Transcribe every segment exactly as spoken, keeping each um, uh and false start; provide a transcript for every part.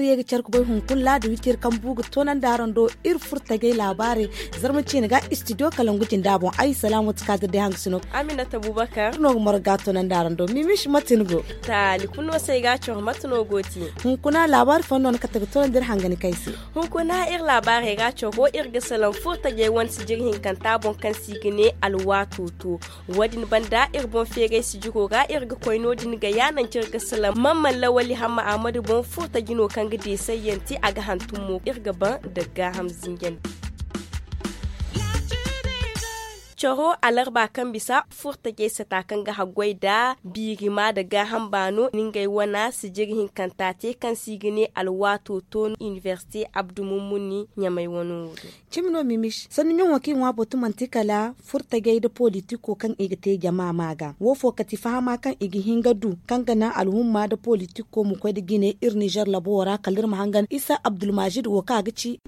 Iri ye ga care ga bay hunkuna laada wiciri kaŋ bu ga toonandi araŋ do iri furtajey laabaarey. Zarma ciine ga istidiyo kalangu jinda boŋ ay salaamu ti kaadir day hangasino. Aminata bubakar no ga moro ga toonandi araŋ do mimish mate ni go? Taali kulu no se ay ga a coro mate no go ti? Hunkuna laabaari fooyaŋ no ni kate ga toonandi iri hangani kaŋ ay se. Hunkuna iri laabaarey ga a coro iri ga salaŋ furtajey wane sijiri hinkanta boŋ kaŋ se i ga ne alwaato to. Wo- din banda iri boŋ feeray sijiro ra iri ga koy no- din ga ya nangu kaŋ iri ga salaŋ mamman lawali hamma ahmadu boŋ furtaji no kaŋ ga deesayyaŋ te a ga hantum mo iri ga ban daga gaaham zinjandi. Coro alarba kaŋ bisa furtajey sata kaŋ ga haggoy nda biirima nda gaaham baano na ngey wane sijiri hinkanta te kaŋ se i ga ne alwaato to inibersite abdu mummuni ɲamay wano wo do. Cimi no mimish sanni ɲaŋo kaŋ i ŋwa batu manti kala furtajey nda politiko kaŋ i ga te jama ma ga wo fo kati fahama kaŋ i ga hin ga du kaŋ ga naŋ alhumma nda politiko ma koy nda jine iri nizer labo wo ra kala iri ma hangan isa abdulmajid wo kaŋ a ga ci.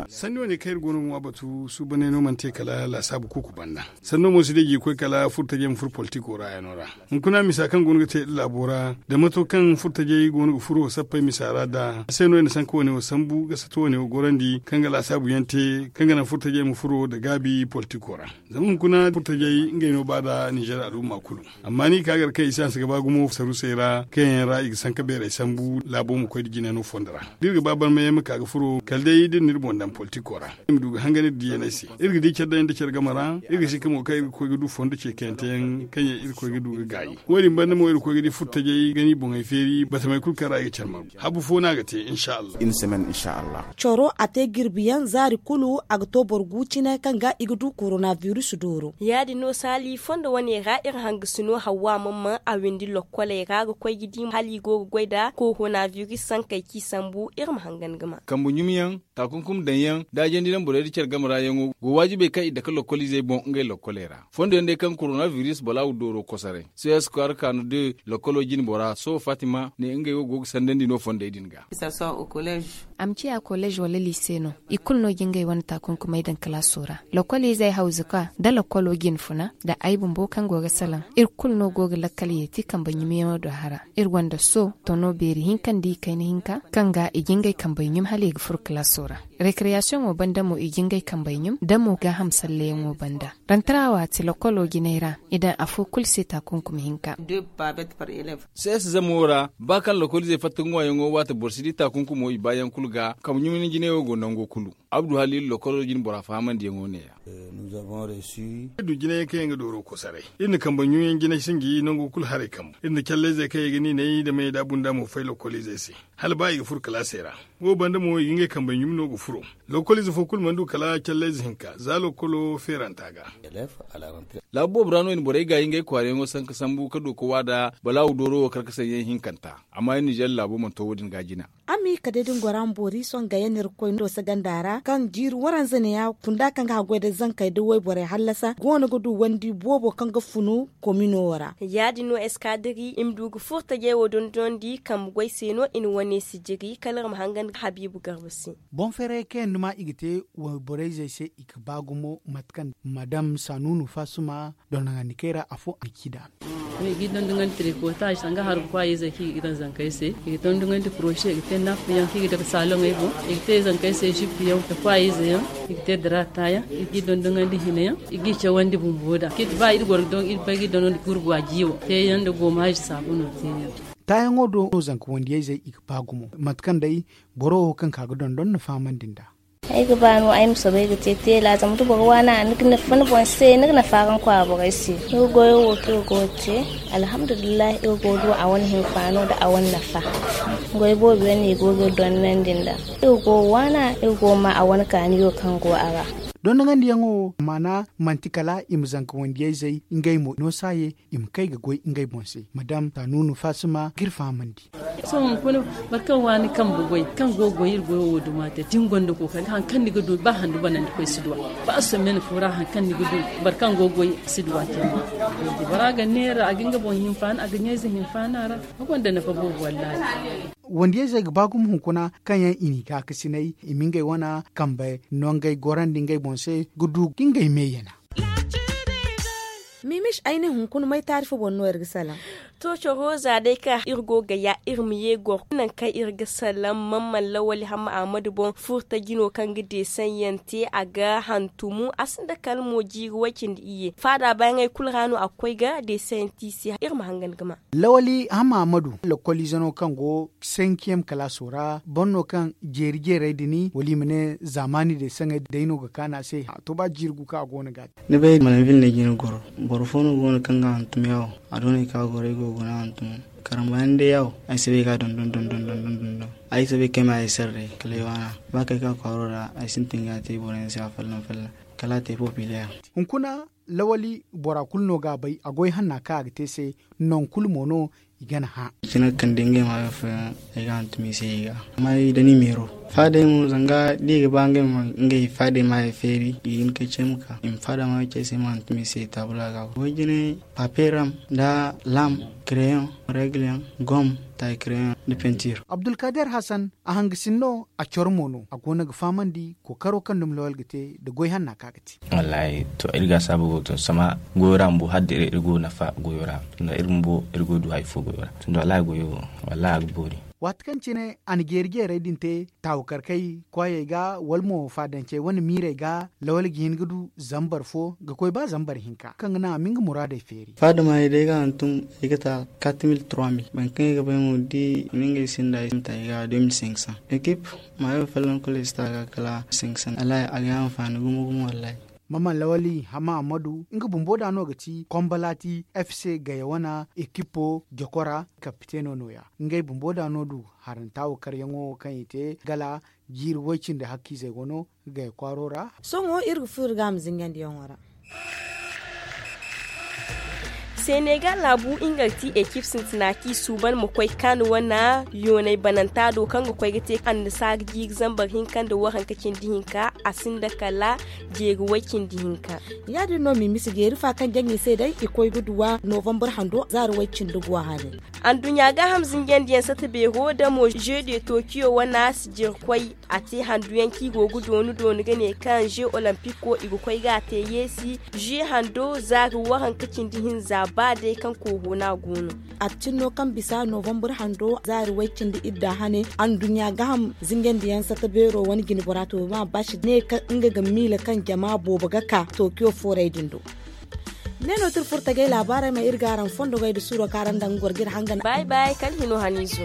Sanni wane kaŋ iri go no ga ŋwa batu suubaney no mana te kala laasaabu kuuku banda. Sanno mo si day ga i koy kala furtajey ma furo politiko ra yaŋo ra. Hunkuna misa kaŋ go no ga te iri laabo ra da mato kaŋ furtajey go no ga furo sappey misa ra da a se no i na sanka wane wo sambu ga sato wane wo gorandi kaŋ ga laasaabu yaŋ te kaŋ ga naŋ furtajey ma furo nda gaabi politiko ra. Zama hunkuna furtajey ngey no ba nda nizer al'umma kulu. Amma ni ka gar kaŋ i si hanse ga ba gumo sarusey ra kaŋ yaŋ ra i ga sanka beerey sambu laabo ma koy nda jine no fondo ra da iri ga ba barmayaŋ ma ka ga furo kala day da iri na iri boŋ daŋ politiko ra. Iri ma du ga hangan iri diyaney se. Iri ga di care daŋ yaŋ nda care game ra. Iri ga si ka mo kaŋ iri ga koy ga du fondo ceekayante yaŋ kaŋ yaŋ iri ga koy ga du ga gaayi. Wo- din banda mo iri ga koy ga di furtajey ga ni boŋey feeri batamey kulu kaŋ ra i ga care margu habu fo no a ga te insha allah. Coro a te jirbi yaŋ zaari kulu a ga to boro gu cine kaŋ ga i ga du korona biris dooro. Ya- din no saali fondo wane ra iri hangasino hawwa mamman a windi lokkoley ra ga koy ga di hala i go ga goy nda korona biris sankey kaŋ i sambu iri ma hangan ga ma. Kambe ɲumyaŋ, taakunkum daŋyaŋ, da a jandi naŋ borey nda care game ra yaŋo go waajibey kaŋ i dake lokkoliizey boŋ ngey lokkoley ra. Fondo yaŋ day kaŋ korona biris balaawu dooro kosoray c s kwaara kaanu de lokkolo jine bora sohõ fatima ne ngey wo go ga sandandi no fondey din ga. A ma ciya kolleez wala liise no i kulu no ga ngey wane taakunkumey daŋ kalaaso ra. Lokkoliizey hawzuka nda lokkolo jine funa nda ay bumbo kaŋ go ga salaŋ iri kulu no go ga lakkal yeeti kambe ɲumyaŋo do hara. Iri gonda so tono beeri hinka nda i kayna hinka kaŋ ga i ga ngey kambey ɲum hala i ga furo kalaaso ra. Rekreyasiyoŋo banda mo i ga ngey kambey ɲum da mo gaaham salleyaŋo banda. Rantara waati lokolo jinay ra i daŋ afo kulu se taakunkuma hinka. Sees zamo ra ba kaŋ lokoliizey fatta ŋwaayaŋo waati boro si di taakunkumo i baayaŋ kulu ga kambe ɲumyaŋ jinayo go nango kulu. Abdu haliilu lokolo jine bora fahamandiyaŋo neeya. Iri du jinayaŋ kaŋ yaŋ ga dooro kosoray. Iri na kambe ɲumyaŋ jinay sinji nango kulu haray kambu iri na callayzey kaŋ yaŋ ga niinay nda may da bunda mo fay lokoliizey se hala ba i ga furo kalaasey ra. Wo banda mo i ga ngey kambey ɲum no ga furo. Lokoliize fo kulu mana du kala callayze hinka za lokolo feeranta ga. Laabu boobo ra no i na borey gaayi ngey kwaarayaŋo sanka sambu ka du ka waada balaawu dooro wo karkasanyaŋ hinkanta. Amma iri nizer laabo mana to wo- din ga jina. Amma i ka day da ni gora ma boori sohõ gayyan irkoy do se ganda ra kaŋ jiiri waranza neeya kunda kaŋ ga haggoy da zankey da wayborey hallasa go no ga du wandi boobo kaŋ ga funu komino ra. Ya- din no eskadiri i ma du ga furtajey wo dondonandi kambe goy se no i na wane sijiri kala iri ma hangan ga habiibu garba se. Boŋ feeray kaŋ yaŋ duma i ga te wayborayzey se i ga ba gumo mate kaŋ madam sanuunu fasuma dondoŋandi kay ra afo a ga ci da. I ga i dondoŋandi tirikotaazi sanga hargu kwaayizey kaŋ i ga daŋ zankey se. I ga dondoŋandi porose i ga te naffiyaŋ kaŋ i ga daŋ saaloŋey boŋ. I ga te zankey se zippiyaŋ nda kwaayizey yaŋ. I ga te daraataayaŋ i ga i dondoŋandi hineyaŋ. I ga i cawandi bumbo da kaŋ i ti ba iri goro ga dondoŋandi gurgwa jiiwo teeyaŋ nda goomaazi saabuno teeyaŋ. Taayaŋo do no zanka wandiyayzey i ga ba gumo mate kaŋ day boro wo kaŋ ka ga dondon na fahamandi nd'a. Ay ga ba no ay ma soobay ga te teela zama da boro waana ni ga nafa ni boŋ se ni ga nafa araŋ kwaara borey se. Iri goyo wo kaŋ iri go ga te alhamdulillahi iri go ga du a wane hinfaano nda a wane nafa. Goy boobo yaŋ no i go ga iri dondonandi nd'a. Iri go ga waana iri go ga ma a wane kaaniyo kaŋ go a ra. Dondoŋandiyaŋo maana manti kala i ma zanka wandiyayzey ngey mo no saaye i ma kay ga goy ngey boŋ se madam tanuunu faasima ga iri fahamandi. Sohõ hunkuna boro kaŋ waani kambe goy kaŋ go ga goy iri goyo wo duma te da ni gonda kookari hari kaŋ ni ga du ba handu banandi koy si duw'a ba somen fo ra hari kaŋ ni ga du boro kaŋ go ga goy si duw'a te. Bora ga neera a ga nga boŋ hinfaani a ga ɲayze hinfaani a ra. A gonda nafa boobo wallaahi. Wandiyayzey ga ba gumo hunkuna kaŋ yaŋ i n'i gaakasinay i ma ngey wane kambe nongey gorandi ngey boŋ se ga du ga ngey me yana. Mimis ay ne hunkuna may taari fo boŋ no iri ga salaŋ. To coro za day kaŋ iri go ga ya iri ma ye goro nangu kaŋ iri ga salaŋ mamman lawali hamma ahmadu boŋ furta jino kaŋ ga deesaŋ yaŋ te a ga hantumu a sinda kala mo jiiri way cindi iyye faada baayaŋey kulu ra no a ga koy ga deesaŋ yaŋ te i se iri ma hangan ga ma. Lawali hamma ahmadu lakkoliize no kaŋ go senkiyem kalaaso ra boro no kaŋ jeeri jeerey din wala i ma ne zaamaani deesaŋey day no ga kaanu a se a to ba jiiri gu kaŋ a go no ga a te. Ni bay malanville no ay ga hin ga goro boro fo no go no kaŋ ga hantum yaawo a do no ay ka goro ay go ga guna hantum. Karambayaŋ day yaawo ay si bay ga dondon dondon dondon dondon ay si bay kaŋ ay ma ay sarre kala ay waana ba kaŋ ay ka kwaaro ra ay sintin ga a te boro yaŋ se afolloŋ folloŋ kala a te populaire. Hunkuna lawali bora kulu no ga a bay a goy hanna kaŋ a ga te se nangu kulu mo no i gana hã. Cine ga kande ngey maayo fooyaŋ ay ga hantum i se i ga amma ay da ni meero faadey mo zanga da i ga ba ngey ma ngey faadey maayo feeri i ga hin kay ce ma ka i ma faada maayo ce ay se ay ma hantum i se taabula ga. Way jine paperam nda lam, kreyon, regle yaŋ, gom, taay kreyon nda pentir. Abdulkader hasan a hangasin no a coro mo no a go no ga fahamandi kookaro kaŋ dumi lawal ga te nda goy hanna kaŋ a ga te. Wallaahi to iri ga a saabu go tun sama goyo ra bumbo hala da iri go nafa goyo ra tunda iri bumbo iri go du hari fo goyo ra tunda wallaahi goyo wo wallaahi a ga boori. Waati kaŋ cine a na jeeri jeerey din te taawu karkay kwaayey ga wala mo faadancey wane miirey ga lawal ga hin ga du zambar fo ga koy ba zambar hinka kaŋ ga naŋ a ma nga muraadey feeri. Faada maayey day ga hantum ay ga ta quatre mille trois mille boro kaŋ ay ga bay mo da i na ngey sinda ay sinda ay ga deux mille cinq cents ekip maayo folloŋ kulu ay si ta ga kala cinq cents wallaahi a ga ay anfaani gumo gumo wallaahi. Maman lawali hama ammadu nga bumbo da no ga ti kombalati fc gaya wana ekipo jokora kapiteno no- ya ngey bumbo da no du haranta wo karyaŋo kaŋ i te gala jiiri way-cindi hakkiizey go no ga gaya kwaaro ra. Sohõ iri ga furo iri ga a ma zingandiyaŋo ra. Senegal laabu nga ga ti ekip sintina kaŋ i suuban ma koy kaanu wane yoonay bananta do kaŋ ga koy ga te annasaara jiiri zambar hinka nda waranka cindi hinka a sinda kala jeeri way cindi hinka. Ya- din no mimisi jeeri fa kaŋ jaŋ i se day i koy ga duw'a novambar hando zaari way cindi go a haray. Anduɲɲa gaaham zinjandiyaŋ sata beero damo jeu de tokiyo wana sijirkoy a te handuyaŋ kaŋ i go ga doonu doonu ga ne kaŋ jeu olympiko i ga koy ga a te yeesi jeu hando zaari waranka cindi hinza ba day kaŋ koohona go no. Attin no kaŋ bisa novambar hando zaari way cindi idda hane anduɲɲa gaaham zinjandiyaŋ sata beero wane jine bora to ma baasi ne kaŋ nga ga miila kaŋ jama boobo ga ka tokiyo fooray din do. Ne no ti iri furo tagay laabaarey ma iri ga araŋ fondogey nda suuro kaŋ araŋ daŋ ga goro ga iri hangan. Bay bay kala hino haniizo.